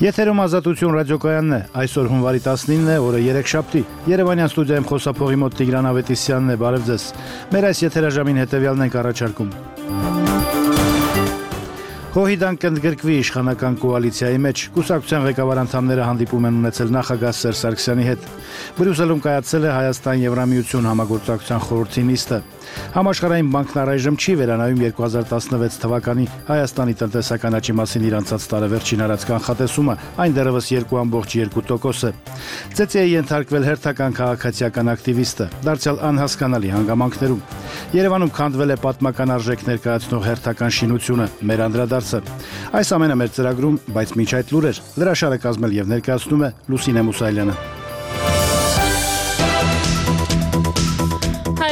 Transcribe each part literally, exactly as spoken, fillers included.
Եթերում Ազատություն ռադիոկայանն է, այսօր հունվարի տասնինն է, օրը երեքշաբթի, Երևանյան ստուդիայում խոսափողի մոտ Տիգրան Ավետիսյանն է, բարև ձեզ, մեր այս եթերաժամին հետևյալն ենք առաջարկում. Հոհիդան կընդգրկվի իշխանական կոալիցիայի մեջ, կուսակցության ղեկավար անդամները հանդիպում են ունեցել նախագահ Սերժ Սարգսյանի հետ, Բրյուսելում կայացել է Հայաստան-Եվրամիություն համագործակցության խորհրդի նիստը, Համաշխարհային բանկն առայժմ չի վերանայում երկու հազար տասնվեց թվականի Հայաստանի տնտեսական աճի մասին իր անցած տարեվերջին արած կանխատեսումը, այն դեռևս երկու կόμμα երկու տոկոս է։ Ծեծի է ենթարկվել հերթական քաղաքացիական ակտիվիստը, դարձյալ անհասկանալի հանգամանքներում։ Երևանում քանդվել է պատմական արժեք ներկայացնող հերթական շինությունը, մեր անդրադարձը։ Այս ամենը մեր ծրագրում, բայց մինչ այդ լուրեր, լրաշարը կազմել եւ ներկայացնում է Լուսինե Մուսայելյանը։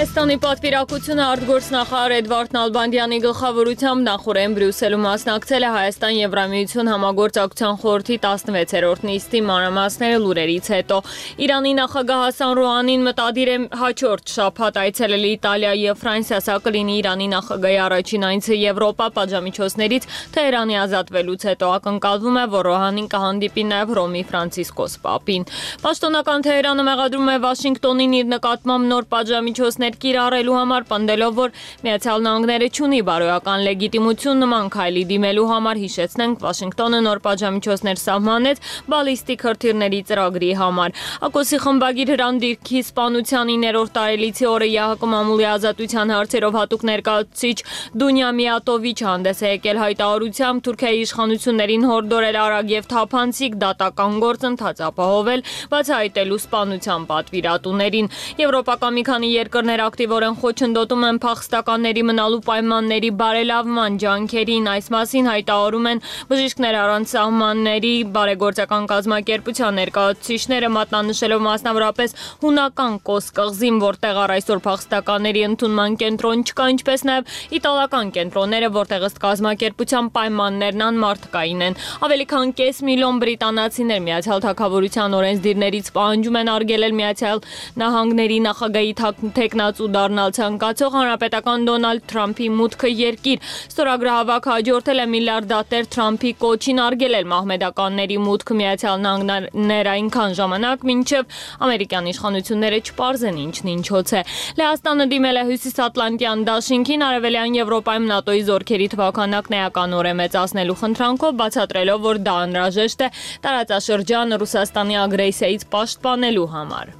Հայաստանի պատվիրակությունը արտգործնախարար Էդվարդ Նալբանդյանի գլխավորությամբ նախօրեն Բրյուսելում մասնակցել է Հայաստան-Եվրամիություն համագործակցության խորհրդի տասնվեցերորդ նիստի մանրամասները լուրերից հետո։ Իրանի նախագահ Հասան Ռոհանին մտադիր է հաջորդ շաբաթ այցելել Իտալիա եւ Ֆրանսիա, սա կլինի Իրանի նախագահի առաջին այցը Եվրոպա պատժամիջոցներից Թեհրանի ազատվելուց հետո։ Ակնկալվում է, որ Ռոհանին կհանդիպի նաեւ Հռոմի Ֆրանցիսկոս Պապին։ Պաշտոնական Թեհրանը մեղադրում է Վաշինգտոնին իր նկատմամբ նոր պատժամիջոցներ կիրառելու համար, պնդելով, որ Միացյալ Նահանգները չունի բարոյական լեգիտիմություն նման քայլի դիմելու համար, հիշեցնենք, Վաշինգտոնը նոր պատժամիջոցներ սահմանեց բալիստիկ հրթիռների ծրագրի համար։ ԱԿՕՍ-ի խմբագիր Հրանդիրքի սպանության իններորդ տարելիցի օրը ԵԱՀԿ մամուլի ազատության հարցերով հատուկ ներկայացուցիչ Դունյա Միատովիչը հանդես է եկել հայտարարությամբ Թուրքիայի իշխանություններին հորդորել արագ եւ թափանցիկ դատական գործընթաց ապահովել, բացահայտելու սպանության պատվիրատուներին։ Եվրոպական մի քանի երկրներ ակտիվորեն խոչընդոտում են փախստականների մնալու պայմանների բարելավման ջանքերին, այս մասին հայտարարում են բժիշկներ առանց սահմանների բարեգործական կազմակերպության ներկայացուցիչները, մատնանշելով մասնավորապես հունական Կոս կղզին, որտեղ առ այսօր փախստականների ընդունման կենտրոն չկա, ինչպես նաև իտալական կենտրոնները, որտեղ ըստ կազմակերպության պայմաններն անմարդկային են։ Ավելի քան կես միլիոն բրիտանացիներ Միացյալ Թագավորության օրենսդիրներից պահանջում են արգելել Միացյալ Նահանգների նախագահի թեկնածու դառնալ ցանկացող հանրապետական Դոնալդ Թրամփի մուտքը երկիր։ Ստորագրահավաքը հաջորդել է միլիարդատեր Թրամփի կոչին արգելել մահմեդականների մուտքը Միացյալ Նահանգներ այնքան ժամանակ, մինչև ամերիկյան իշխանությունները չպարզեն ինչն ինչոց է։ Լեհաստանը դիմել է Հյուսիսատլանտյան դաշինքին Արևելյան Եվրոպայում ՆԱՏՕ-ի զորքերի թվաքանակն էականորեն մեծացնելու խնդրանքով, բացատրելով, որ դա անհրաժեշտ է տարածաշրջանը Ռուսաստանի ագրեսիայից պաշտպանելու համար։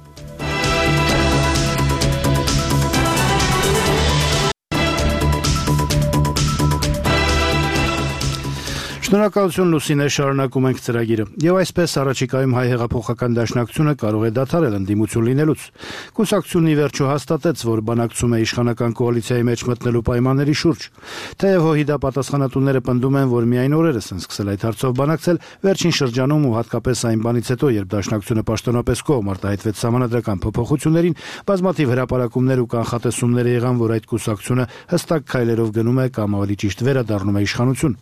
Շնորհակալություն Լուսինե, շարունակում ենք ծրագիրը։ Եվ այսպես առաջիկայում հայ հեղափոխական դաշնակցությունը կարող է դադարել ընդդիմություն լինելուց։ Կուսակցությունն ի վերջո հաստատեց, որ բանակցում է իշխանական կոալիցիայի մեջ մտնելու պայմանների շուրջ։ Թեև ՀՅԴ պատասխանատուները պնդում են, որ միայն օրերս են սկսել այդ հարցով բանակցել, վերջին շրջանում ու հատկապես այն բանից հետո, երբ դաշնակցությունը պաշտոնապես կողմ արտահայտվեց սահմանադրական փոփոխություններին, բազմաթիվ հրապարակումներ ու կանխատեսումներ եղան, որ այդ կուսակցությունը հստակ քայլերով գնում է կամ ավելի ճիշտ վերադառնում է իշխանություն։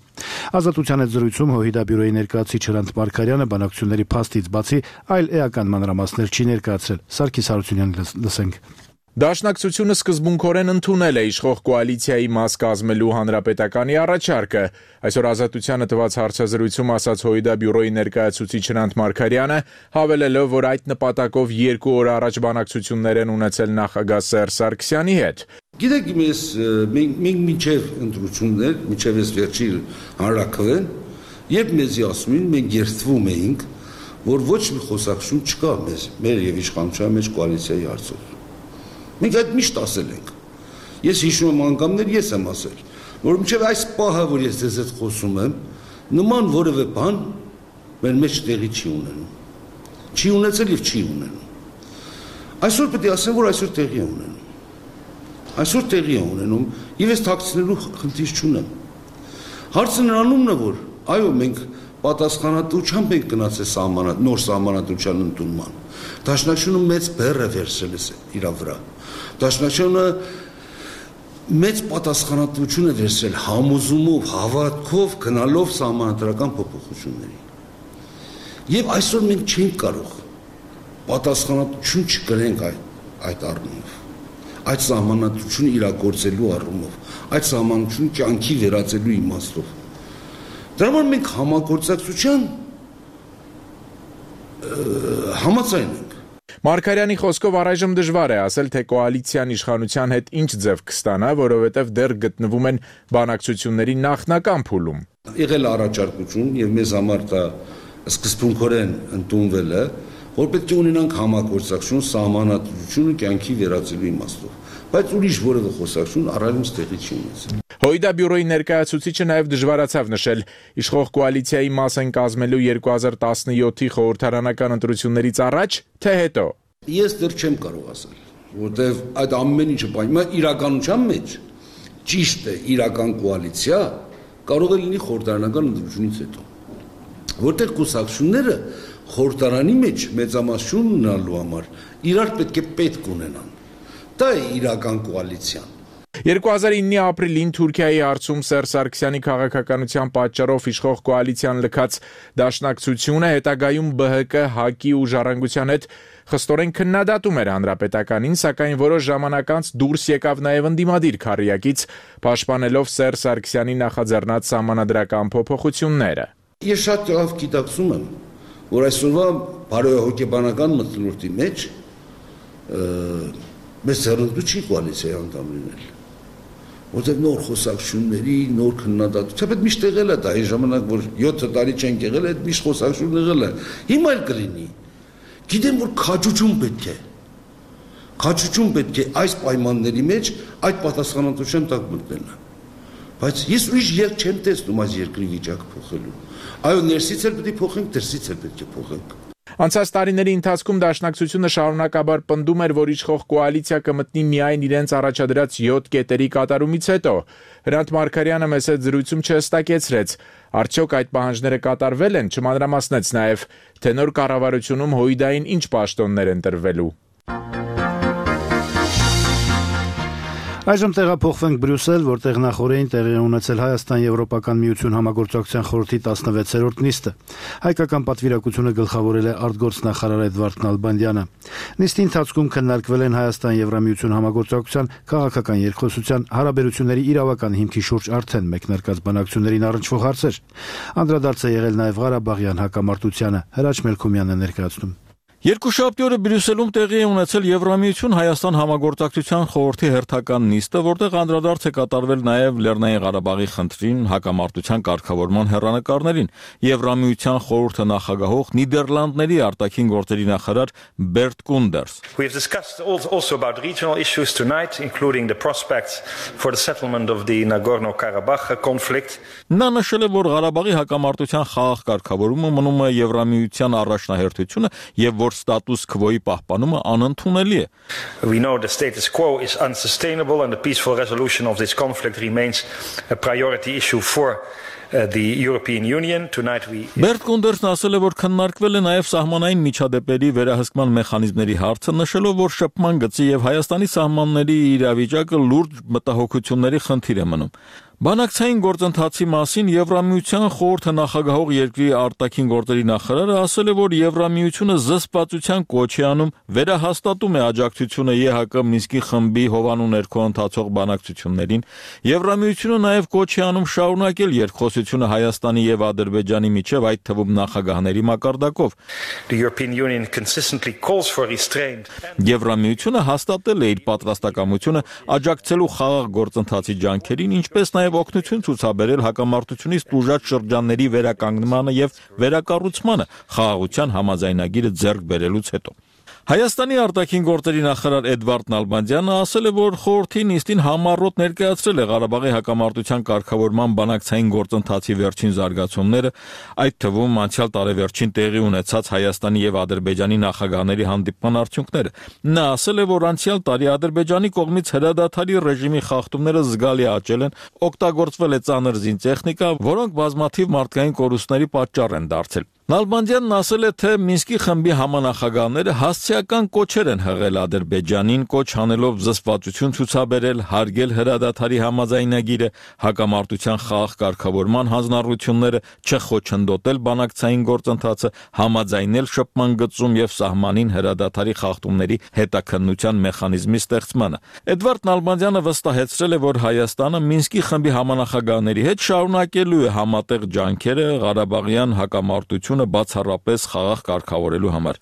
Ազատության հետ զրույցում ՀՅԴ բյուրոյի ներկայացուցիչ Հրանտ Մարգարյանը բանակցությունների փաստից բացի այլ էական մանրամասներ չի ներկայացրել։ Սարգիս Հարությունյանին լսենք։ Դաշնակցությունը սկզբունքորեն ընդունել է իշխող կոալիցիայի մաս կազմելու հանրապետականի առաջարկը։ Այսօր Ազատությանը տված հարցազրույցում ասաց ՀՅԴ բյուրոյի ներկայացուցիչ Հրանտ Մարգարյանը, հավելելով, որ այդ նպատակով երկու օր առաջ բանակցություններ են ունեցել նախագահ Սերժ Սարգսյանի հետ։ Գիտեք, ես մենք մինչև ընտրություններ, մինչև այս վերջի հանրաքվեն, երբ մեզի ասում են, մենք երդվում էինք, որ ոչ մի խոսակցություն չկա մեզ, մեր եւ իշխանության մեջ կոալիցիայի հարցով։ Մենք այդ միշտ ասել ենք։ Ես հիշում եմ անգամներ, ես եմ ասել, որ մինչև այս պահը, որ ես ձեզ հետ խոսում եմ, նման որևէ բան մեր մեջ տեղի չի ունենում։ Չի ունեցել եւ չի ունենում։ Այսօր պետք է ասեմ, որ այսօր տեղի է ունենում։ Այսօր տեղի է ունենում եւ ես թաքցնելու խնդիր չունեմ։ Հարցը նրանումն է, որ այո, մենք պատասխանատվությամբ ենք գնացել սահմանատ, նոր սահմանադրության ընդունման։ Դաշնակցությունը մեծ բեռ է վերցրել իր վրա։ Դաշնակցությունը մեծ պատասխանատվություն է վերցրել համոզումով, հավատքով գնալով սահմանադրական փոփոխությունների։ Եվ այսօր մենք չենք կարող պատասխանատվություն չկրենք այդ այդ առումով։ Այդ սահմանադրությունը իրագործելու առումով, այդ սահմանությունը կյանքի վերածելու իմաստով։ Դրա համար մենք համագործակցության համաձայն ենք։ Մարգարյանի խոսքով առայժմ դժվար է ասել, թե կոալիցիան իշխանության հետ ինչ ձև կստանա, որովհետև դեռ գտնվում են բանակցությունների նախնական փուլում։ Եղել առաջարկություն եւ մեզ համար դա սկզբունքորեն ընդունվել է, որ պետք է ունենանք համագործակցություն սահմանադրությունը կյանքի վերածելու իմաստով, բայց ուրիշ որևէ խոսակցություն առայժմ տեղի չի ունեցել։ Հույդա բյուրոյի ներկայացուցիչը նաև դժվարացավ նշել իշխող կոալիցիայի մաս են կազմելու երկու հազար տասնյոթի խորհրդարանական ընտրություններից առաջ, թե հետո։ Ես դեռ չեմ կարող ասել, որտեղ այդ ամեն ինչը բան իրականության մեջ ճիշտ է իրական կոալիցիա կարող է լինի խորհրդարանական ընտրությունից հետո, որտեղ կուսակցությունները խորհրդարանի մեջ մեծամասնություն ունենալու համար իրար պետք է պետք ունենան։ Դա է իրական կոալիցիան։ երկու հազար իննի ապրիլին Թուրքիայի հարցում Սերժ Սարգսյանի քաղաքականության պատճառով իշխող կոալիցիան լքած դաշնակցությունը հետագայում B H K, ՀԱԿ-ի ու Ժառանգության հետ խստորեն քննադատում էր հանրապետականին, սակայն որոշ ժամանակ անց դուրս եկավ նաև ընդդիմադիր քառյակից, պաշտպանելով Սերժ Սարգսյանի նախաձեռնած սահմանադրական փոփոխությունները։ Ես շատ լավ գիտակցում եմ, որ այսօրվա բարոյահոգեբանական մթնոլորտի մեջ մեզ ձեռնտու չի կոալիցիայի անդամ լինել, որտեղ նոր խոսակցությունների, նոր քննադատություն, թեպետ միշտ եղել է դա, այն ժամանակ, որ յոթ տարի չենք եղել, այդ միշտ խոսակցություն եղել է, հիմա էլ կլինի, գիտեմ, որ քաջություն պետք է, քաջություն պետք է այս պայմանների մեջ այդ պատասխանատվության տակ մտնելը, բայց ես ուրիշ ելք չեմ տեսնում այս երկրի վիճակը փոխելու, այո, ներսից էլ պետք է փոխենք, դրսից էլ պետք է փոխենք։ Անցած տարիների ընթացքում դաշնակցությունը շարունակաբար պնդում էր, որ իշխող կոալիցիա կմտնի միայն իրենց առաջադրած յոթ կետերի կատարումից հետո։ Հրանտ Մարգարյանը մեծ զրույցում չհստակեցրեց, արդյոք այդ պահանջները կատարվել են, չմանրամասնեց նաև, թե նոր կառավարությունում Հույդային ինչ պաշտոններ են տրվելու։ Այժմ տեղափոխվենք Բրյուսել, որտեղ նախորդին տեղի ունեցել Հայաստան-Եվրոպական միություն համագործակցության խորհրդի տասնվեցերորդ նիստը։ Հայկական պատվիրակությունը գլխավորել է արտգործնախարար Էդվարդ Նալբանդյանը։ Նիստի ընթացքում քննարկվել են Հայաստան-Եվրամիություն համագործակցության քաղաքական երկխոսության հարաբերությունների իրավական հիմքի շուրջ արդեն մեկնարկած բանակցություններին առնչվող հարցեր։ Անդրադարձ է եղել նաև Ղարաբաղյան հակամարտությանը։ Հրաչ Մելքումյանն է ներկայացնում։ Երկուշաբթի օրը Բրյուսելում տեղի է ունեցել Եվրամիություն Հայաստան համագործակցության խորհրդի հերթական նիստը, որտեղ անդրադարձ է կատարվել նաև Լեռնային Ղարաբաղի խնդրին, հակամարտության կարգավորման հեռանկարներին։ Եվրամիության խորհրդը նախագահող Նիդերլանդների արտաքին գործերի նախարար Բերտ Կունդերս. We have discussed also about regional issues tonight, including the prospects for the settlement of the Nagorno-Karabakh conflict. Նա նշել է, որ Ղարաբաղի հակամարտության խաղաղ կարգավորումը մնում է Եվրամիության առաջնահերթությունը եւ status quo-ի պահպանումը անընդունելի է։ We know the status quo is unsustainable and the peaceful resolution of this conflict remains a priority issue for uh, the European Union. Tonight we Բերտ Կունդերսն ասել է, որ քննարկվել է նաև սահմանային միջադեպերի վերահսկման մեխանիզմների հարցը, նշելով, որ շփման գծի եւ Հայաստանի սահմանների իրավիճակը լուրջ մտահոգությունների խնդիր է մնում։ Բանակցային գործընթացի մասին Եվրամիության խորհրդը նախագահող երկրի արտաքին գործերի նախարարը ասել է, որ Եվրամիությունը զսպվածության կոչ է անում, վերահաստատում է աջակցությունը Է Հ Կ Մինսկի խմբի հովանու ներքո ընթացող բանակցություններին։ Եվրամիությունը նաև կոչ է անում շարունակել երկխոսությունը Հայաստանի եւ Ադրբեջանի միջև, այդ թվում նախագահների մակարդակով։ The European Union consistently calls for restraint. Եվրամիությունը հաստատել է իր պատրաստակամությունը աջակցելու խաղաղ գործընթացի ջանքերին, ինչպես նաև օգնություն ցուցաբերել հակամարտությունից տուժած շրջանների վերականգնմանը եւ վերակառուցմանը խաղաղության համաձայնագիրը ձեռք բերելուց հետո։ Հայաստանի արտաքին գործերի նախարար Էդվարդ Նալբանդյանը ասել է, որ խորհրդի նիստին համառոտ ներկայացրել է Ղարաբաղի հակամարտության կարգավորման բանակցային գործընթացի վերջին զարգացումները, այդ թվում անցյալ տարեվերջին տեղի ունեցած Հայաստանի եւ Ադրբեջանի նախագահների հանդիպման արդյունքները։ Նա ասել է, որ անցյալ տարի Ադրբեջանի կողմից հրադադարի ռեժիմի խախտումները զգալի աճել են, օգտագործվել է ծանր զինտեխնիկա, որոնք բազմաթիվ մարդկային կորուստների պատճառ են դարձել։ Նալբանդյանն ասել է, թե Մինսկի խմբի համանախագահները հասցեական կոչեր են հղել Ադրբեջանին, կոչ անելով զսպվածություն ցուցաբերել, հարգել հրադադարի համաձայնագիրը, հակամարտության խաղաղ կարգավորման հանձնառությունները, չխոչընդոտել բանակցային գործընթացը, համաձայնել շփման գծում եւ սահմանին հրադադարի խախտումների հետաքննության մեխանիզմի ստեղծմանը։ Էդվարդ Նալբանդյանը վստահեցրել է, որ Հայաստանը Մինսկի խմբի համանախագահների հետ շարունակելու է համատեղ ջանքերը Ղարաբաղյան հակամարտություն տնտեսությունը բացառապես խաղաղ կարգավորելու համար։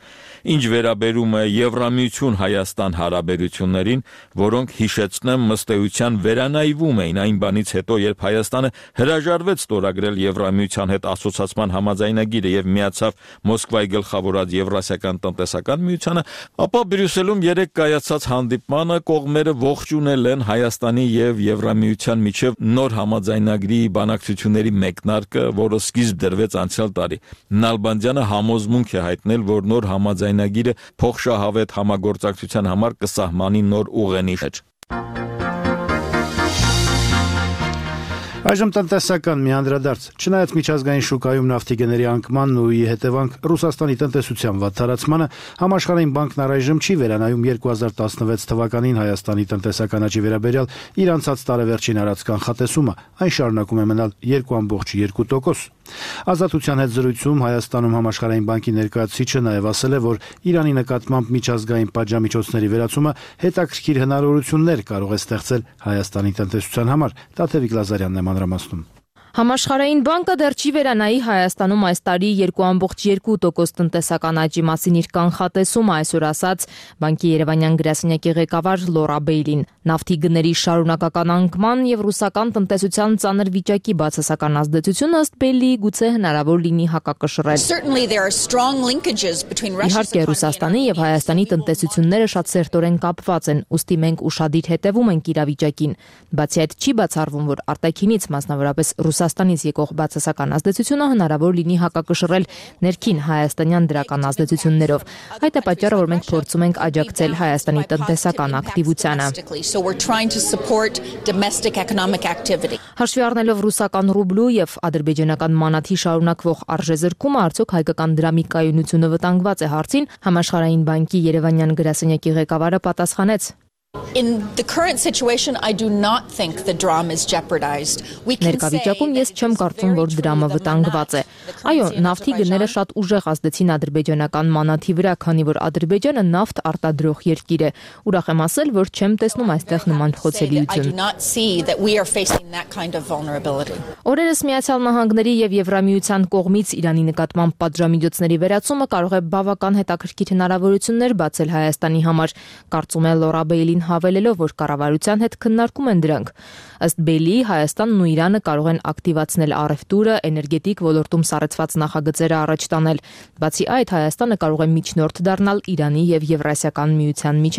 Ինչ վերաբերում է Եվրամիություն-Հայաստան հարաբերություններին, որոնք հիշեցնեմ ըստ էության վերանայվում էին այն բանից հետո, երբ Հայաստանը հրաժարվեց ստորագրել Եվրամիության հետ ասոցիացիան համաձայնագիրը եւ միացավ Մոսկվայի գլխավորած Եվրասիական տնտեսական միությանը, ապա Բրյուսելում երեք կայացած հանդիպմանը կողմերը ողջունել են Հայաստանի եւ Եվրամիության միջև նոր համաձայնագրի բանակցությունների մեկնարկը, որը սկիզբ դրվեց անցյալ տարի։ Նալբանդյանը համոզմունք է հայտնել, որ նոր համաձայնագիրը փոխշահավետ համագործակցության համար կսահմանի նոր ուղենիշ։ Այժմ տնտեսական մի անդրադարձ։ Չնայած միջազգային շուկայում նավթի գների անկմանն ու ի հետևանք Ռուսաստանի տնտեսության վատթարացմանը, Համաշխարհային բանկն առայժմ չի վերանայում երկու հազար տասնվեց թվականին Հայաստանի տնտեսական աճի վերաբերյալ իր անցած տարեվերջին արած կանխատեսումը, այն շարունակում է մնալ երկու կόμma երկու տոկոս։ Ազատության հետ զրույցում Հայաստանում Համաշխարհային բանկի ներկայացուցիչը նաև ասել է, որ Իրանի նկատմամբ միջազգային պատժամիջոցների վերացումը հետաքրքիր հնարավորություններ կարող է ստեղծել Հայաստանի տնտեսության համար։ Տաթևիկ Լազարյանն է մանրամասնում։ Համաշխարհային բանկը դեռ չի վերանայի Հայաստանում այս տարի երկու կόμma երկու տոկոս տնտեսական աճի մասին իր կանխատեսումը, այսօր ասաց բանկի Երևանյան գրասենյակի ղեկավար Լորա Բեյլին։ Նավթի գների շարունակական անկման եւ ռուսական տնտեսության ծանր վիճակի բացասական ազդեցությունը ըստ Բեյլիի գուցե հնարավոր լինի հակակշռել։ Իհարկե Ռուսաստանի եւ Հայաստանի տնտեսությունները շատ սերտորեն կապված են, ուստի մենք ուշադիր հետևում ենք իրավիճակին։ Բացի այդ չի բացառվում, որ արտաքինից մասնավորապես Ռուսաստանից եկող բացասական ազդեցությունը հնարավոր լինի հակակշռել ներքին հայաստանյան դրական ազդեցություններով։ Այդ է պատճառը, որ մենք փորձում ենք աջակցել Հայաստանի տնտեսական ակտիվությանը։ Հաշվի առնելով ռուսական ռուբլու եւ ադրբեջանական մանաթի շարունակվող արժեզրկումը, արդյոք հայկական դրամի կայունությունը վտանգված է հարցին, Համաշխարհային բանկի Երևանյան գրասենյակի ղեկավարը պատասխանեց. In the current situation, I do not think the dram is jeopardized. Ներկայացում ես չեմ կարծում, որ դրամը վտանգված է։ Այո, նավթի գները շատ ուժեղ ազդեցին ադրբեջանական մանաթի վրա, քանի որ Ադրբեջանը նավթ արտադրող երկիր է։ Ուրախ եմ ասել, որ չեմ տեսնում այստեղ նման խոցելիություն։ Օրերս Միացյալ Նահանգների եւ Եվրամիության կողմից Իրանի նկատմամբ պատժամիջոցների վերացումը կարող է բավական հետաքրքիր հնարավորություններ բացել Հայաստանի համար, կարծում է Լորա Բեյլին հավելելով, որ կառավարության հետ քննարկում են դրանք։ Ըստ Բեյլիի, Հայաստանն ու Իրանը կարող են ակտիվացնել առևտուրը, էներգետիկ ոլորտում սառեցված նախագծերը առաջ տանել։ Բացի այդ, Հայաստանը կարող է միջնորդ դառնալ Իրանի եւ Եվրասիական միության միջև։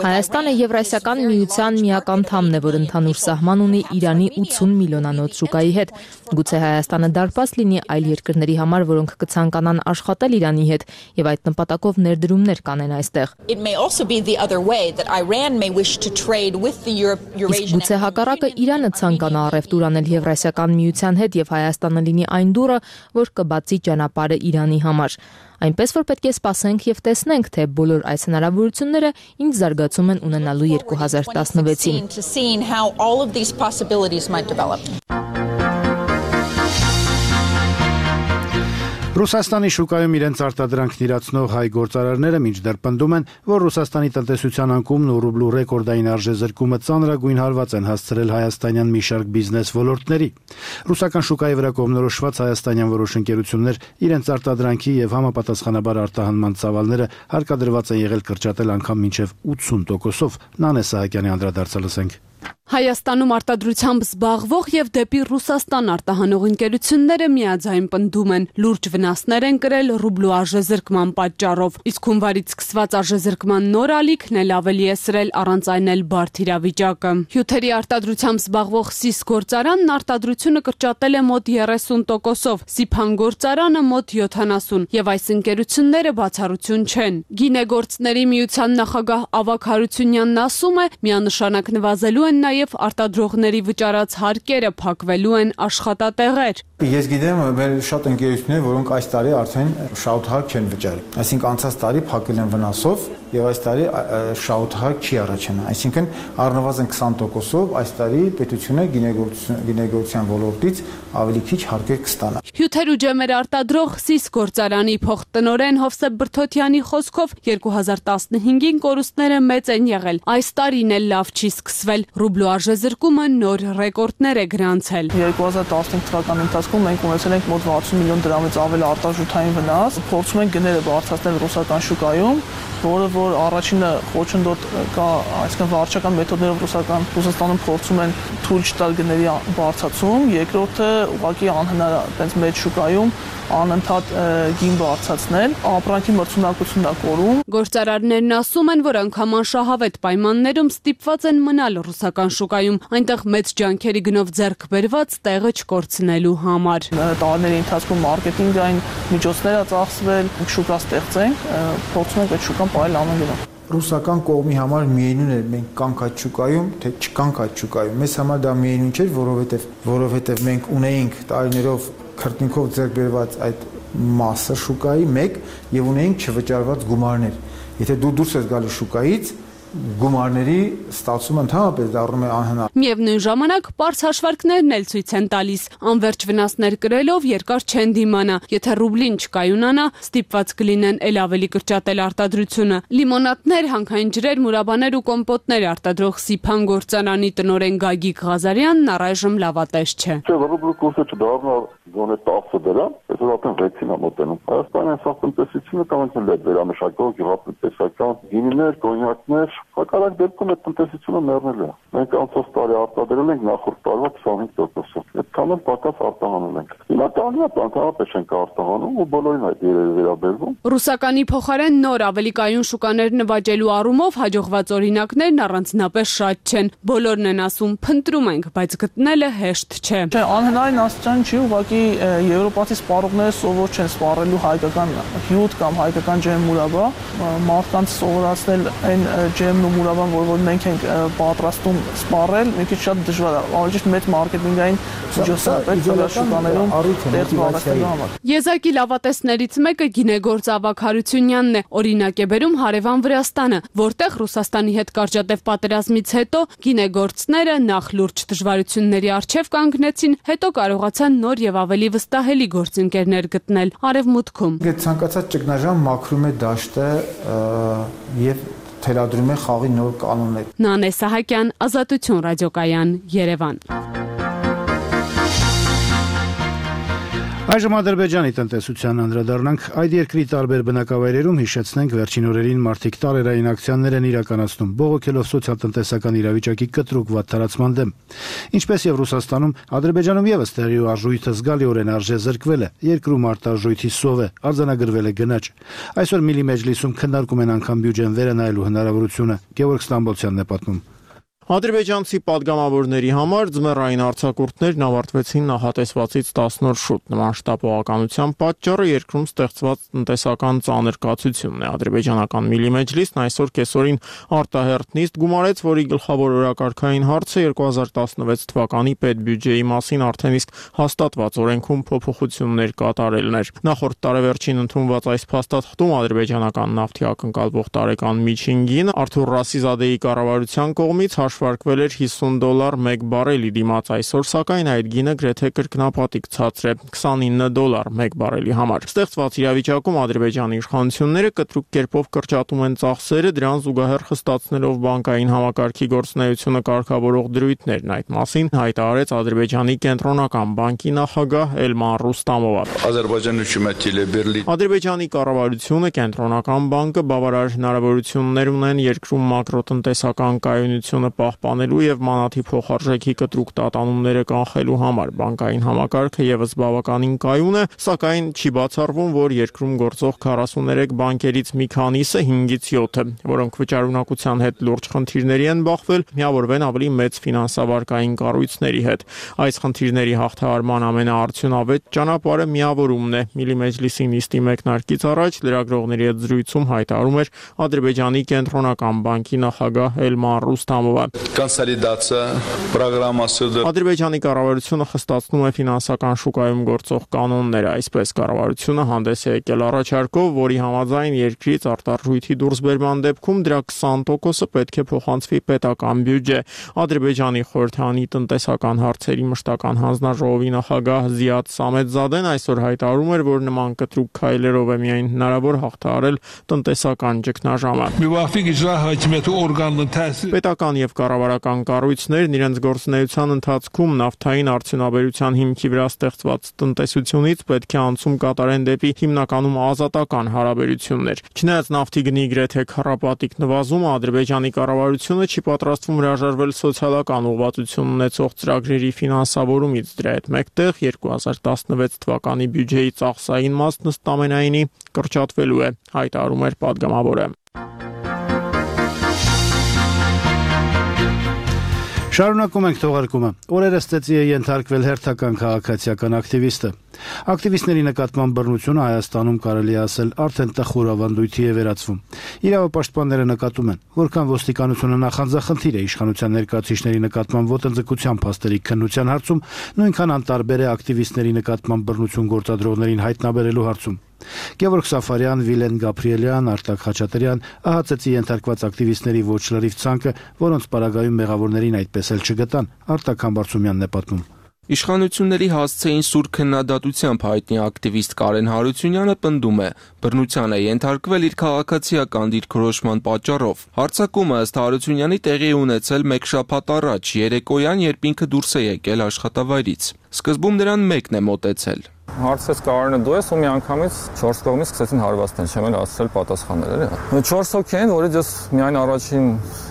Հայաստանը Եվրասիական միության միակ անդամն է, որ ընդհանուր սահման ունի Իրանի ութուն միլիոնանոց շուկայի հետ։ Գուցե Հայաստանը դարպաս լինի այլ երկրների համար, որոնք կցանկանան աշխատել Իրանի հետ եւ այդ նպատակով ներդրումներ կանեն այստեղ։ Իսկ գուցե հակառակը Իրանը ցանկանա առևտուր անել Եվրասիական միության հետ եւ Հայաստանը լինի այն դուռը, որ կբացի ճանապարհը Իրանի համար։ Այնպես որ պետք է սպասենք եւ տեսնենք, թե բոլոր այս հնարավորությունները ինչ զարգացում են ունենալու երկու հազար տասնվեցին։ Ռուսաստանի շուկայում իրենց արտադրանքն իրացնող հայ գործարարները մինչդեռ պնդում են, որ Ռուսաստանի տնտեսության անկումն ու ռուբլու ռեկորդային արժեզրկումը ծանրագույն հարված են հասցրել հայաստանյան մի շարք բիզնես ոլորտների։ Ռուսական շուկայի վրա կողմնորոշված հայաստանյան որոշ ընկերություններ իրենց արտադրանքի եւ համապատասխանաբար արտահանման ծավալները հարկադրված են եղել կրճատել անգամ մինչեւ ութսուն տոկոսով։ Նանե Սահակյանի անդրադարձը լսենք։ Հայաստանում արտադրությամբ զբաղվող եւ դեպի Ռուսաստան արտահանող ընկերությունները միաձայն պնդում են, լուրջ վնասներ են կրել ռուբլու արժեզրկման պատճառով, իսկ հունվարից սկսված արժեզրկման նոր ալիքն էլ ավելի է սրել առանց այն էլ բարդ իրավիճակը։ Հյութերի արտադրությամբ զբաղվող Սիս գործարանն արտադրությունը կրճատել է մոտ երեսուն տոկոսով, Սիփան գործարանը մոտ յոթանասուն, եւ այս ընկերությունները բացառություն չեն։ Գինեգործների միության նախագահ Ավագ Հարությունյանն ասում է, միանշանակ նվազելու են նաև արտադրողների վճարած հարկերը, փակվելու են աշխատատեղեր։ Ես գիտեմ, մեր շատ ընկերություններ, որոնք այս տարի արդեն շահութահարկ չեն վճարել։ Այսինքն անցած տարի փակել են վնասով եւ այս տարի շահութահարկ չի առաջանա։ Այսինքն առնվազն քսան տոկոսով այս տարի պետությունը գինեգործության ոլորտից ավելի քիչ հարկեր կստանա։ Հյութեր ու ջեմեր արտադրող Սիս գործարանի փոխտնօրեն Հովսեփ Բրթոթյանի խոսքով երկու հազար տասնհինգին կորուստները մեծ են եղել։ Այս տարին էլ լավ չի սկսվել։ Ռուբլու արժեզրկումը նոր ռեկորդներ է գրանցել։ երկու հազար տասնհինգ թվականի ընթացքում մենք ունեցել ենք մոտ վաթսուն միլիոն դրամից ավել արտարժութային վնաս։ Փորձում ենք գները բարձրացնել ռուսական շուկայում, որը որ առաջինը խոչընդոտ կա, այսինքն վարչական մեթոդներով ռուսական Ռուսաստանում փորձում են թույլ չտալ գների բարձրացում, երկրորդը ուղղակի անհնար է այդպես մեծ շուկայում անընդհատ գին բարձրացնել, ապրանքի մրցունակությունն է կորում։ Գործարարներն ասում են, որ անգամ անշահավետ պայմաններում ստիպված են մնալ ռուսական շուկայում, այնտեղ մեծ ջանքերի գնով ձեռք բերված տեղը չկորցնելու համար։ Տարիների ընթացքում մարքեթինգային միջոցներ ա ծախսվել, շուկա ստեղծենք, փորձում ենք այդ շուկան պահել ամեն գնով։ Ռուսական կողմի համար միևնույն է մենք կանք այդ շուկայում, թե չկանք այդ շուկայում։ Մեզ համար դա միևնույն չէր, որովհետև որովհետև մենք ունեինք տարիներով քրտնքով ձեռք բերված այդ մասը շուկայի մեկ եւ ունեինք չվճարված գումարներ։ Եթե դու դուրս ես գալու շուկայից, գումարների ստացումը ընդհանրապես դառնում է անհնար։ Միևնույն ժամանակ պարզ հաշվարկներն էլ ցույց են տալիս, անվերջ վնասներ կրելով երկար չեն դիմանա, եթե ռուբլին չկայունանա, ստիպված կլինեն ել ավելի կրճատել արտադրությունը։ Լիմոնադներ, հանքային ջրեր, մուրաբաներ ու կոմպոտներ արտադրող Սիփան գործարանի տնօրեն Գագիկ Ղազարյանն առայժմ լավատես չէ։ Ռուբլու կուրսը չդառնա գոնե տասը դրամ, այսօր արդեն վեցին է մոտենում։ Հայաստանի սա տնտեսությունը կամ էլ վերամշակող գյուղատնտեսական գինիներ, կոնյակներ, հակառակ դեպքում այդ տնտեսությունը մեռնել է։ Մենք անցած տարի արտադրել ենք նախորդ տարվա քսանհինգ տոկոսով։ Այդքան էլ պակաս արտահանում ենք։ Հիմա տանիա բանտարապես ենք արտահանում ու բոլորին այդ երևի վերաբերվում։ Ռուսականի փոխարեն նոր ավելի կայուն շուկաներ նվաճելու առումով հաջողված օրինակներն առանձնապես շատ չեն։ Բոլորն են ասում, փնտրում ենք, բայց գտնելը հեշտ չէ։ Չէ, անհնարին աստիճան չի, ուղղակի եվրոպացի սպառողները սովոր չեն սպառելու հայկական հյութ կամ հայկական ջեմ մուրաբա, մարդկանց սովորացնել այն ջեմն ու մուրաբան, որ որ մենք ենք պատրաստում սպառել, մի քիչ շատ դժվար է, ավելի ճիշտ մեծ մարքեթինգային միջոցառումներ պետք է շուկաներում տեղ բարձրացնելու համար։ Եզակի լավատեսներից մեկը գինեգործ Ավագ Հարությունյանն է, օրինակ է բերում հարևան Վրաստանը, որտեղ Ռուսաստանի հետ կարճատև պատերազմից հետո գինեգործները նախ լուրջ դժվարությունների առջև կանգնեցին, հետո կարողացան նոր եւ ավելի վստահելի գործընկերներ գտնել Արևմուտքում։ Այդ ցանկացած ճգնաժամ մաքրում է դաշտը եւ թելադրում է խաղի նոր կանոններ։ Նանե Սահակյան, Ազատություն ռադիոկայան, Երևան։ Այժմ Ադրբեջանի տնտեսության անդրադառնանք, այդ երկրի տարբեր բնակավայրերում հիշեցնենք վերջին օրերին մարդիկ տարերային ակցիաներ են իրականացնում, բողոքելով սոցիալ-տնտեսական իրավիճակի կտրուկ վատթարացման դեմ։ Ինչպես եւ Ռուսաստանում, Ադրբեջանում եւս տեղի արժույթը զգալիորեն արժեզրկվել է, երկրում արտարժույթի սով է, արձանագրվել է գնաճ։ Այսօր Միլի մեջլիսում քննարկում են անգամ բյուջեն վերանայելու հնարավորությունը։ Գևորգ Ստամբոլցյանն է պատմում։ Ադրբեջանցի падգամավորների համար ձմեռային արձակուրդներն ավարտվեցին նախատեսվածից տասնորդ շուտ։ Նման շտապողականության պատճառը երկրում ստեղծված տնտեսական ծանր կացությունն է։ Ադրբեջանական Միլի մեջլիսն այսօր կեսօրին արտահերթ նիստ գումարեց, որի գլխավոր օրակարգային հարցը երկու հազար տասնվեց թվականի պետբյուջեի մասին արդեն իսկ հաստատված օրենքում փոփոխություններ կատարելն էր։ Նախորդ տարեվերջին ընդունված այս փաստաթղթում ադրբեջանական նավթի ակնկալվող տարեկան միջին գինը Արթուր Ռասիզադեի կառավարության կողմից հաշվարկվել էր հիսուն դոլար մեկ բարելի դիմաց, այսօր սակայն այդ գինը գրեթե կրկնապատիկ ցածր է՝ քսանինը դոլար մեկ բարելի համար։ Ստեղծված իրավիճակում Ադրբեջանի իշխանությունները կտրուկ կերպով կրճատում են ծախսերը, դրան զուգահեռ խստացնելով բանկային համակարգի գործունեությունը կարգավորող դրույթներն։ Այդ մասին հայտարարեց Ադրբեջանի կենտրոնական բանկի նախագահ Էլման Ռուստամովը։ Ադրբեջանի կառավարությունը, կենտրոնական բանկը բավարար հնարավորություններ ունեն երկրում մակրոտնտեսական կայունությունը պահպանելու եւ մանաթի փոխարժեքի կտրուկ տատանումները կանխելու համար։ Բանկային համակարգը եւս բավականին կայուն է, սակայն չի բացառվում, որ երկրում գործող քառասուներեք բանկերից մի քանիսը հինգից յոթը, որոնք վճարունակության հետ լուրջ խնդիրների են բախվել, միավորվեն ավելի մեծ ֆինանսավարկային կառույցների հետ։ Այս խնդիրների հաղթահարման ամենաարդյունավետ ճանապարհը միավորումն է։ Միլի մեջլիսի նիստի մեկնարկից առաջ լրագրողների հետ զրույցում հայտարարում էր Ադրբեջանի կենտրոնական բանկի նախագահ Էլման Ռուստամովը։ Ադրբեջանի կառավարությունը խստացնում է ֆինանսական շուկայում գործող կանոնները, այսպես կառավարությունը հանդես է եկել առաջարկով, որի համաձայն երկրից արտարժույթի դուրսբերման դեպքում դրա քսան տոկոսը պետք է փոխանցվի պետական բյուջե։ Ադրբեջանի խորհրդանի տնտեսական հարցերի մշտական հանձնաժողովի նախագահ Զիադ Սամեդզադեն այսօր հայտարարում էր, որ նման կտրուկ քայլերով է միայն հնարավոր հաղթահարել տնտեսական ճգնաժամը։ Պետական եւ կառավարական կառույցներն իրենց գործունեության ընթացքում նավթային արդյունաբերության հիմքի վրա ստեղծված տնտեսությունից պետք է անցում կատարեն դեպի հիմնականում ազատական հարաբերություններ։ Չնայած նավթի գնի գրեթե քառապատիկ նվազումը, Ադրբեջանի կառավարությունը չի պատրաստվում հրաժարվել սոցիալական ուղղվածություն ունեցող ծրագրերի ֆինանսավորումից։ Դրա հետ մեկտեղ երկու հազար տասնվեց թվականի բյուջեի ծախսային մասն ըստ ամենայնի կրճատվելու է, հայտարարում էր պատգամավորը։ Շարունակում ենք թողարկումը։ Օրերս ծեծի է ենթարկվել հերթական քաղաքացիական ակտիվիստը։ Ակտիվիստների նկատմամբ բռնությունը Հայաստանում կարելի է ասել արդեն տխուր ավանդույթի է վերածվում։ Իրավապաշտպանները նկատում են, որքան ոստիկանությունը նախանձախնդիր է իշխանության ներկայացուցիչների նկատմամբ ոտնձգության փաստերի քննության հարցում, նույնքան անտարբեր է ակտիվիստների նկատմամբ բռնություն գործադրողներին հայտնաբերելու հարցում։ Գևորգ Սաֆարյան, Վիլեն Գաբրիելյան, Արտակ Խաչատրյան, ահա ծեծի ենթարկված ակտիվիստների ոչ լրիվ ցանկը, որոնց պարագայում մեղավորներին այդպես էլ չգտան, Արտակ Համբարձումյանն է պատմում։ Իշխանությունների հասցեին սուր քննադատությամբ հայտնի ակտիվիստ Կարեն Հարությունյանը պնդում է, բռնության է ենթարկվել իր քաղաքացիական դիրքորոշման պատճառով։ Հարձակումը ըստ Հարությունյանի տեղի է ունեցել մեկ շաբաթ առաջ, երեկոյան, երբ ինքը դուրս է եկել աշխատավայրից։ Սկզբում նրան մեկն է մոտեցել։ Հարցրեց Կարենը դու ես ու մի անգամից չորս կողմից սկսեցին հարվածնել, չեմ էլ ասել պատասխաններ էլի։ չորս հոգի են, որից ես միայն առաջին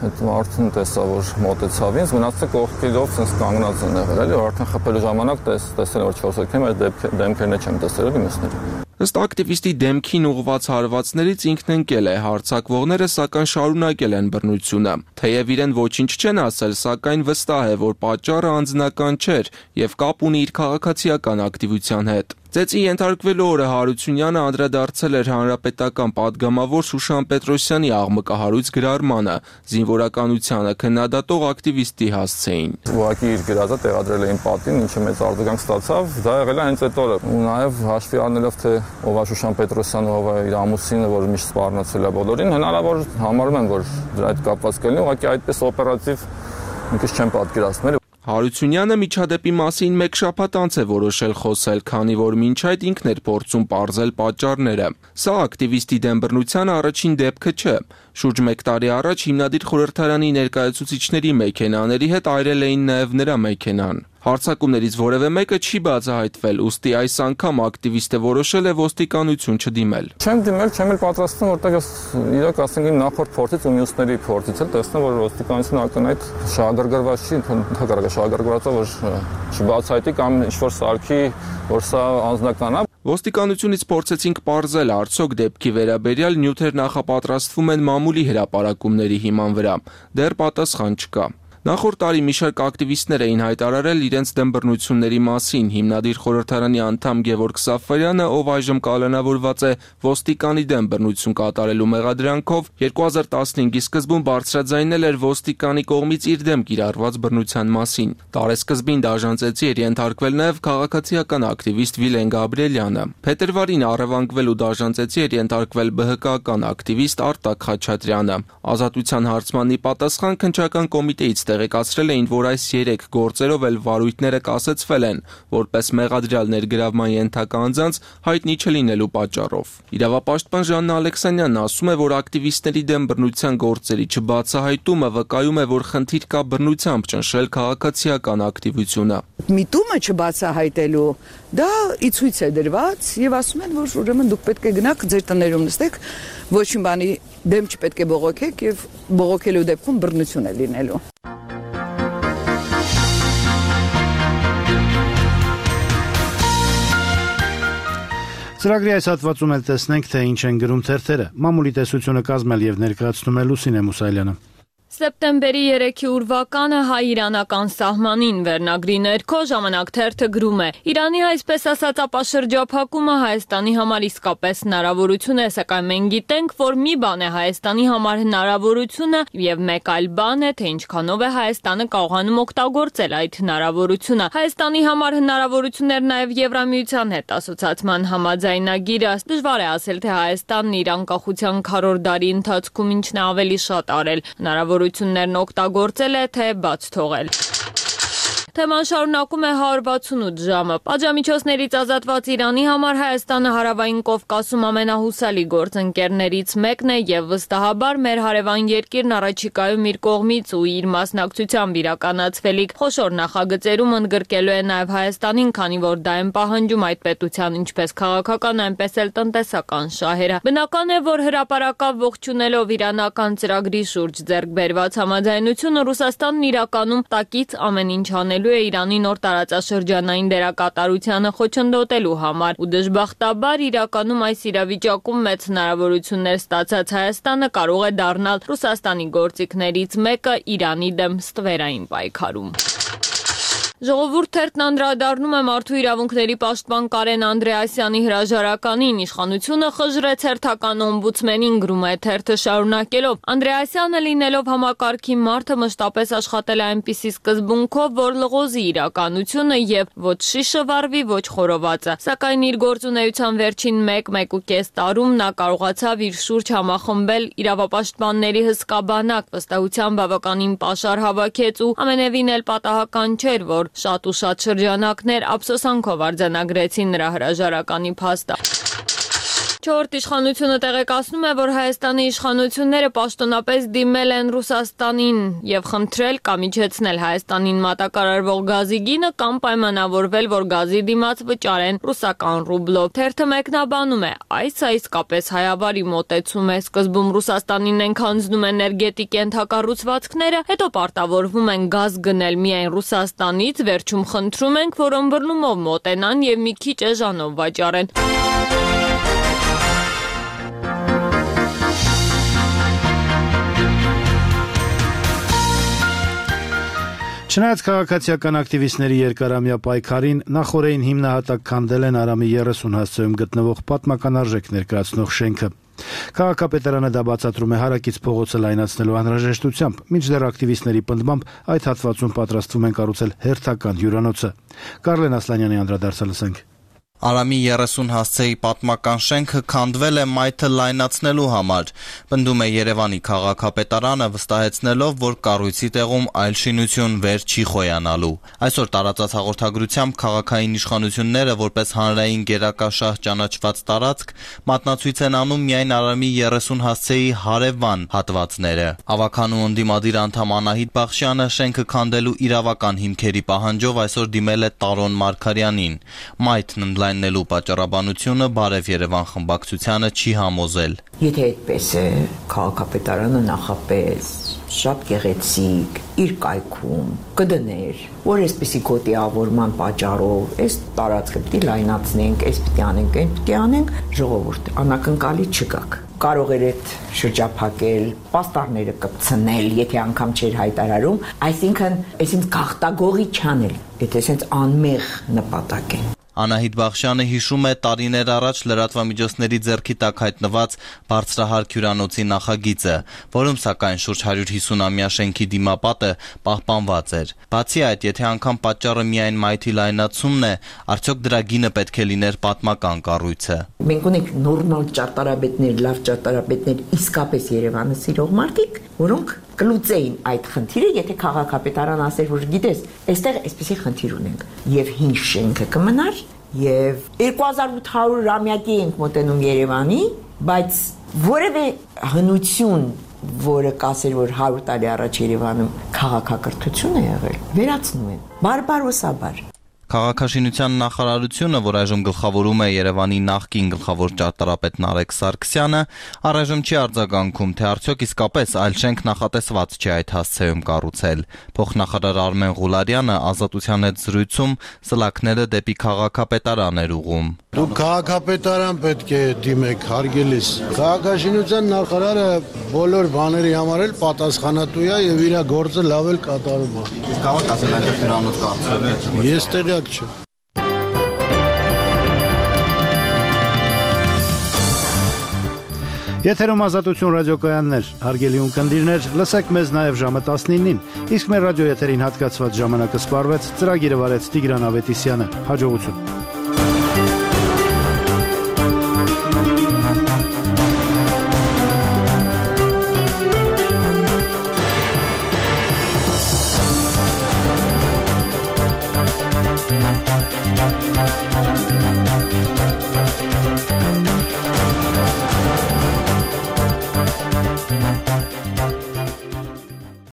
այդ մարդուն տեսա, որ մոտեցավ ինձ, մնացածը կողքերով sense կանգնած են եղել, էլի, արդեն խփելու ժամանակ տեսել որ չորս հոգի են, այդ դեմքերն չեմ տեսել էլի մյուսների։ Ըստ ակտիվիստի դեմքին ուղղված հարվածներից ինքն ընկել է, հարձակվողները սակայն շարունակել են բռնությունը։ Թեև իրեն ոչինչ չեն ասել, սակայն վստահ է, որ պատճառը անձնական չէր եւ կապ ունի իր քաղաքացիական ակտիվության հետ։ Ծեծի ենթարկվելու օրը Հարությունյանը անդրադարձել էր հանրապետական պատգամավոր Շուշան Պետրոսյանի աղմկահարույց գրառմանը, զինվորականությանը քննադատող ակտիվիստի հասցեին։ Ուղղակի իր գրածը տեղադրել էին պատին, ինչը մեծ արձագանք ստացավ, դա եղել է հենց այդ օրը։ Ու նաև հաշվի առնելով թե ով է Շուշան Պետրոսյանը, ով է իր ամուսինը, որ միշտ սպառնացել է բոլորին, հնարավոր համարում եմ, որ դրա հետ կապված կլինի, ուղղակի այդպես օպերատիվ մի քիչ չեմ պատկերացնել։ Հարությունյանը միջադեպի մասին մեկ շաբաթ անց է որոշել խոսել, քանի որ մինչ այդ ինքն էր փորձում պարզել պատճառները։ Սա ակտիվիստի դեմ բռնության առաջին դեպքը չէ։ Շուրջ մեկ տարի առաջ հիմնադիր խորհրդարանի ներկայացուցիչների մեքենաների հետ այրել էին նաև նրա մեքենան։ Հարձակումներից որևէ մեկը չի բացահայտվել, ուստի այս անգամ ակտիվիստը որոշել է ոստիկանություն չդիմել։ Չեմ դիմել, չեմ էլ պատրաստվում, որտեղ ես իրոք ասենք իմ նախորդ փորձից ու մյուսների փորձից էլ տեսնում որ ոստիկանությունը ակնհայտ շահագրգռված չի, ընդհանրապես շահագրգռված է, որ չբացահայտի կամ ինչ-որ սարքի, որ սա անձնական է։ Ոստիկանությունից փորձեցինք պարզել արդյոք դեպքի վերաբերյալ նյութեր նախապատրաստվում են մամուլի հրապարակումների հիման վրա։ Դեռ պատասխան չկա։ Նախորդ տարի մի շարք ակտիվիստներ էին հայտարարել իրենց դեմ բռնությունների մասին։ Հիմնադիր խորհրդարանի անդամ Գևորգ Սաֆարյանը, ով այժմ կալանավորված է ոստիկանի դեմ բռնություն կատարելու մեղադրանքով, երկու հազար տասնհինգի սկզբում բարձրաձայնել էր ոստիկանի կողմից իր դեմ կիրառված բռնության մասին։ Տարեսկզբին դաժանցեցի էր ենթարկվել նաև քաղաքացիական ակտիվիստ Վիլեն Գաբրիելյանը։ Փետրվարին առևանգվել ու դաժանցեցի էր ենթարկվել ԲՀԿ-ական ակտիվիստ Արտակ Խաչատրյանը։ Ազատության հարցմանի պատասխան քննչական կոմիտեից տեղեկացրել էին, որ այս երեք գործերով էլ վարույթները կասեցվել են, որպես մեղադրյալ ներգրավման ենթակա անձանց հայտնի չլինելու պատճառով։ Իրավապաշտպան Ժաննա Ալեքսանյանն ասում է, որ ակտիվիստների դեմ բռնության գործերի չբացահայտումը վկայում է, որ խնդիր կա բռնությամբ ճնշել քաղաքացիական ակտիվությունը։ Միտումը չբացահայտելու դա իցույց է դրված եւ ասում են, որ ուրեմն դուք պետք է գնաք ձեր տներում նստեք, ոչ մի բանի դեմ չպետք է բողոքեք եւ բողոքելու դեպքում բռնություն է լինելու։ Ծրագրի այս հատվածում էլ տեսնենք, թե ինչ են գրում թերթերը։ Մամուլի տեսությունը կազմել եւ ներկայացնում է Լուսինե Մուսայելյանը։ Սեպտեմբերի երեքի ուրվականը հայ-իրանական սահմանին վերնագրի ներքո ժամանակ թերթը գրում է. Իրանի այսպես ասած ապաշրջափակումը Հայաստանի համար իսկապես հնարավորություն է, սակայն մենք գիտենք, որ մի բան է Հայաստանի համար հնարավորությունը եւ մեկ այլ բան է, թե ինչքանով է Հայաստանը կարողանում օգտագործել այդ հնարավորությունը։ Հայաստանի համար հնարավորություններ նաեւ Եվրամիության հետ ասոցիացման համաձայնագիրը։ Դժվար է ասել, թե Հայաստանն իր անկախության քառորդ դարի ընթացքում ինչն է ավելի շատ արել։ Հնարավոր Հնարավորություններն օգտագործել է, թե բաց թողել։ Թեման շարունակում է հարյուր վաթսունութ ժամը։ Պատժամիջոցներից ազատված Իրանի համար Հայաստանը Հարավային Կովկասում ամենահուսալի գործընկերներից մեկն է եւ վստահաբար մեր հարևան երկիրն առաջիկայում իր կողմից ու իր մասնակցությամբ իրականացվելիք խոշոր նախագծերում ընդգրկելու է նաեւ Հայաստանին, քանի որ դա են պահանջում այդ պետության ինչպես քաղաքական, այնպես էլ տնտեսական շահերը։ Բնական է, որ հրապարակավ ողջունելով իրանական ծրագրի շուրջ ձեռք բերված համաձայնությունը Ռուսաստանն իրականում տակից ամեն ինչ անելու է Իրանի նոր տարածաշրջանային դերակատարությանը խոչընդոտելու համար ու դժբախտաբար իրականում այս իրավիճակում մեծ հնարավորություններ ստացած Հայաստանը կարող է դառնալ Ռուսաստանի գործիքներից մեկը Իրանի դեմ ստվերային պայքարում։ Ժողովուրդ թերթն անդրադառնում է մարդու իրավունքների պաշտպան Կարեն Անդրեասյանի հրաժարականին, իշխանությունը խժռեց հերթական օմբուդսմենին, գրում է թերթը շարունակելով։ Անդրեասյանը լինելով համակարգի մարդը մշտապես աշխատել է այնպիսի սկզբունքով, որ լղոզի իրականությունը եւ ոչ շիշը վառվի, ոչ խորովածը։ Սակայն իր գործունեության վերջին մեկ-մեկուկես տարում նա կարողացավ իր շուրջ համախմբել իրավապաշտպանների հսկա բանակ, վստահության բավականին պաշար հավաքեց ու ամենևին էլ պատահական չէր, որ շատ ու շատ շրջանակներ ափսոսանքով արձանագրեցին նրա հրաժարականի փաստը։ Չորրորդ իշխանությունը տեղեկացնում է, որ Հայաստանի իշխանությունները պաշտոնապես դիմել են Ռուսաստանին եւ խնդրել կամ իջեցնել Հայաստանին մատակարարվող գազի գինը կամ պայմանավորվել, որ գազի դիմաց վճարեն ռուսական ռուբլով։ Թերթը մեկնաբանում է, այս է իսկապես հայավարի մոտեցում է, սկզբում Ռուսաստանին են քանձնում էներգետիկ ենթակառուցվածքները, հետո պարտավորվում են գազ գնել միայն Ռուսաստանից, վերջում խնդրում ենք, որ ըմբռնումով մոտենան եւ մի քիչ էժանով վաճառեն։ Չնայած քաղաքացիական ակտիվիստների երկարամյա պայքարին, նախօրեին հիմնահատակ քանդել են Արամի երեսուն հասցեում գտնվող պատմական արժեք ներկայացնող շենքը։ Քաղաքապետարանը դա բացատրում է հարակից փողոցը լայնացնելու անհրաժեշտությամբ, մինչդեռ ակտիվիստների պնդմամբ այդ հատվածում պատրաստվում են կառուցել հերթական հյուրանոցը։ Կարլեն Ասլանյանի անդրադարձը լսենք։ Արամի երեսուն հասցեի պատմական շենքը քանդվել է մայթը լայնացնելու համար, պնդում է Երևանի քաղաքապետարանը, վստահեցնելով, որ կառույցի տեղում այլ շինություն վեր չի խոյանալու։ Այսօր տարածած հաղորդագրությամբ քաղաքային իշխանությունները որպես հանրային գերակաշահ ճանաչված տարածք մատնացույց են անում միայն Արամի երեսուն հասցեի հարևան հատվածները։ Ավականու ընդդիմադիր անդամ Անահիտ Բախշյանը շենքը քանդելու իրավական հիմքերի պահանջով այսօր դիմել է Տարոն Մարգարյանին։ Մայթն նելու պատճառաբանությունը Բարև Երևան խմբակցությանը չի համոզել։ Եթե այդպես է, քաղաքապետարանը նախապես շատ գեղեցիկ իր կայքում կդներ, որ այսպեսի գոտիավորման պատճառով այս տարածքը պիտի լայնացնենք, այս պիտի անենք, այն պիտի անենք, ժողովուրդ անակնկալի չգաք։ Կարող էր այդ շրջափակել, պաստառները կպցնել, եթե անգամ չէր հայտարարում, այսինքն, այսինքն գաղտագողի չանել, եթե այսինքն անմեղ նպատակ է։ Անահիտ Բախշյանը հիշում է տարիներ առաջ լրատվամիջոցների ձեռքի տակ հայտնված բարձրահարկ հյուրանոցի նախագիծը, որում սակայն շուրջ հարյուր հիսուն-ամյա շենքի դիմապատը պահպանված էր։ Բացի այդ, եթե անգամ պատճառը միայն մայթի լայնացումն է, արդյոք դրա գինը պետք է լիներ պատմական կառույցը։ Մենք ունենք նորմալ ճարտարապետներ, լավ ճարտարապետներ, իսկապես Երևանը սիրող մարդիկ, որոնք կլուծեին այդ խնդիրը, եթե քաղաքապետարան ասեր, որ գիտես, այստեղ այսպեսի խնդիր ունենք, եւ հին շենքը կմնար, եւ երկու հազար ութ հարյուրամյակի ենք մոտենում Երևանի, բայց որևէ հնություն, որը կասեր, որ հարյուր տարի առաջ Երևանում քաղաքակրթություն է եղել, վերացնում են, բարբարոսաբար։ Քաղաքաշինության նախարարությունը, որ այժմ գլխավորում է Երևանի նախկին գլխավոր ճարտարապետ Նարեկ Սարգսյանը, առայժմ չի արձագանքում, թե արդյոք իսկապես այլ շենք նախատեսված չէ այդ հասցեում կառուցել։ Փոխնախարար Արմեն Ղուլարյանը Ազատության հետ զրույցում սլաքները դեպի քաղաքապետարան էր ուղղում։ Դուք քաղաքապետարան պետք է դիմեք, հարգելիս։ Քաղաքաշինության նախարարը բոլոր բաների համար էլ պատասխանատու է եւ իր գործը լավ էլ կատարում է։ Իսկ կարող ասել այնտեղ հյուրանոց կառուցել։ Ես տեղյակ չեմ։ Եթերում Ազատություն ռադիոկայաններ, հարգելի ունկնդիրներ, լսեք մեզ նաև ժամը տասնինին, իսկ մեր ռադիոեթերին հատկացված ժամանակը սպառվեց, ծրագիրը վարեց Տիգրան Ավետիսյանը, հաջողություն։